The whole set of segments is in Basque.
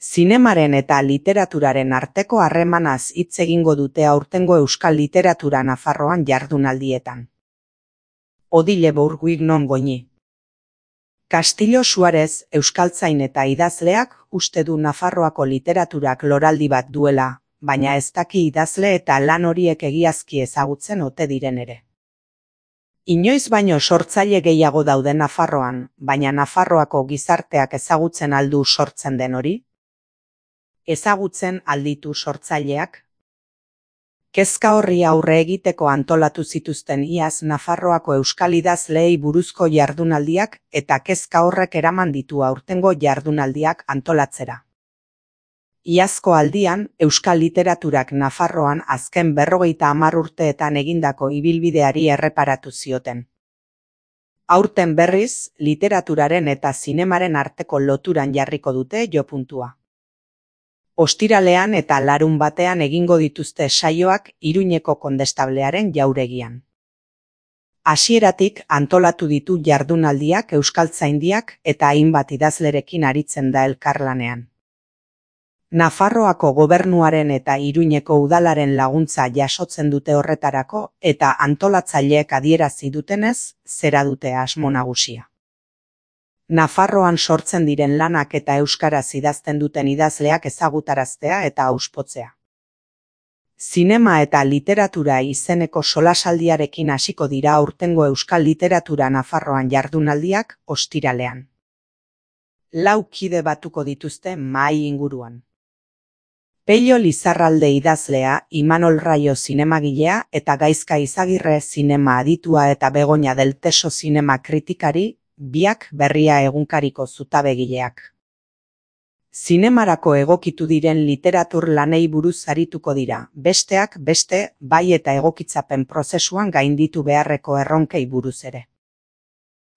Zinemaren eta literaturaren arteko harremanaz hitz egingo dute aurtengo euskal literatura Nafarroan jardunaldietan. Odile Bourguig non goñi. Castillo Suarez euskaltzain eta idazleak uste du Nafarroako literaturak loraldi bat duela, baina ez daki idazle eta lan horiek egiazki ezagutzen ote diren ere. Inoiz baino sortzaile gehiago daude Nafarroan, baina Nafarroako gizarteak ezagutzen aldu sortzen den hori? Ezagutzen alditu sortzaileak? Kezka horri aurre egiteko antolatu zituzten iaz Nafarroako euskal idazleei buruzko jardunaldiak eta kezka horrek eraman ditu aurtengo jardunaldiak antolatzera. Iazko aldian, euskal literaturak Nafarroan azken 50 urteetan egindako ibilbideari erreparatu zioten. Aurten berriz, literaturaren eta zinemaren arteko loturan jarriko dute jopuntua. Ostiralean eta larunbatean egingo dituzte saioak Iruñeko kondestablearen jauregian. Hasieratik antolatu ditu jardunaldiak euskaltzaindiak eta hainbat idazlerekin aritzen da elkarlanean. Nafarroako gobernuaren eta Iruñeko udalaren laguntza jasotzen dute horretarako eta antolatzaileek adierazi dutenez, zera dute asmo nagusia. Nafarroan sortzen diren lanak eta euskaraz idazten duten idazleak ezagutaraztea eta auspotzea. Zinema eta literatura izeneko solasaldiarekin hasiko dira aurtengo euskal literatura Nafarroan jardunaldiak ostiralean. 4 kide batuko dituzte mahai inguruan. Pello Lizarralde idazlea, Imanol Raio zinemagilea eta Gaizka Izagirre zinema aditua eta Begoña del Teso zinema kritikari, biak Berria egunkariko zutabegileak. Zinemarako egokitu diren literatur lanei buruz arituko dira, besteak beste, bai eta egokitzapen prozesuan gainditu beharreko erronkei buruz ere.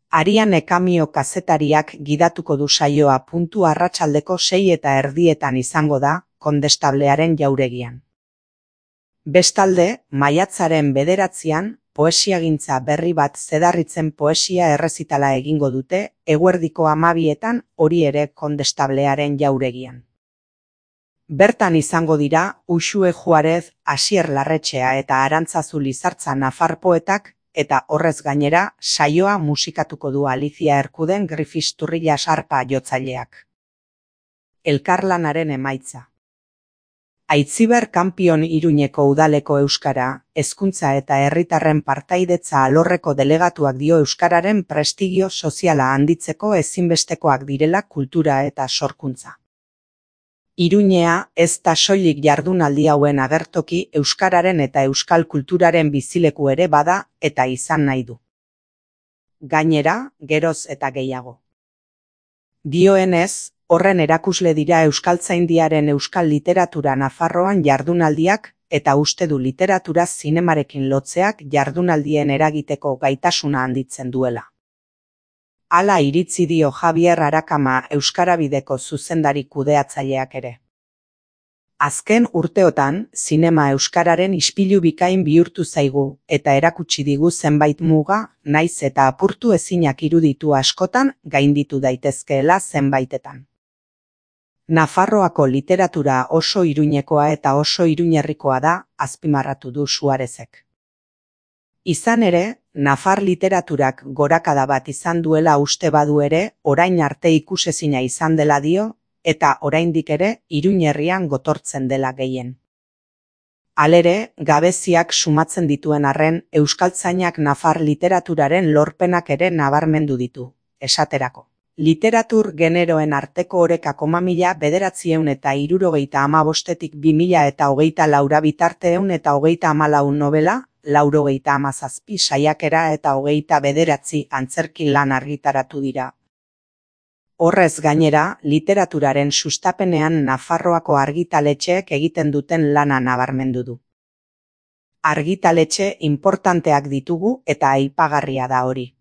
Ariane Kamio kazetariak gidatuko du saioa arratsaldeko 6:30 izango da, kondestablearen jauregian. Bestalde, maiatzaren 9 poesiagintza berri bat zedarritzen poesia errezitala egingo dute, eguerdiko 12 hori ere kondestablearen jauregian. Bertan izango dira, Uxue Juarez, Asier Larretxea eta Arantzazu Lizartza nafar poetak, eta horrez gainera, saioa musikatuko du Alicia Erkuden Grifisturrilla sarpa jotzaileak. Elkarlanaren emaitza. Aitziber Kanpion Iruñeko udaleko euskara, hezkuntza eta herritarren partaidetza alorreko delegatuak dio euskararen prestigio soziala handitzeko ezinbestekoak direla kultura eta sorkuntza. Iruñea ez da soilik jardunaldi hauen agertoki euskararen eta euskal kulturaren bizileku ere bada eta izan nahi du. Gainera, geroz eta gehiago. Dioenez, horren erakusle dira euskaltzaindiaren euskal literatura Nafarroan jardunaldiak eta uste du literatura zinemarekin lotzeak jardunaldien eragiteko gaitasuna handitzen duela. Hala iritzi dio Javier Arakama Euskarabideko zuzendari kudeatzaileak ere. Azken urteotan, zinema euskararen ispilu bikain bihurtu zaigu eta erakutsi digu zenbait muga, naiz eta apurtu ezinak iruditu askotan gainditu daitezkeela zenbaitetan. Nafarroako literatura oso iruñekoa eta oso iruñerrikoa da, azpimarratu du Suarezek. Izan ere, nafar literaturak gorakada bat izan duela uste badu ere, orain arte ikusezina izan dela dio, eta oraindik ere, Iruñerrian gotortzen dela gehien. Halere, gabeziak sumatzen dituen arren, euskaltzainak nafar literaturaren lorpenak ere nabarmendu ditu, esaterako. Literatur generoen arteko oreka 1975-tik 2024 bitarte 134 novela, 97 saiakera eta 29 antzerki lan argitaratu dira. Horrez gainera, literaturaren sustapenean Nafarroako argitaletxeek egiten duten lana nabarmendu du. Argitaletxe inportanteak ditugu eta aipagarria da hori.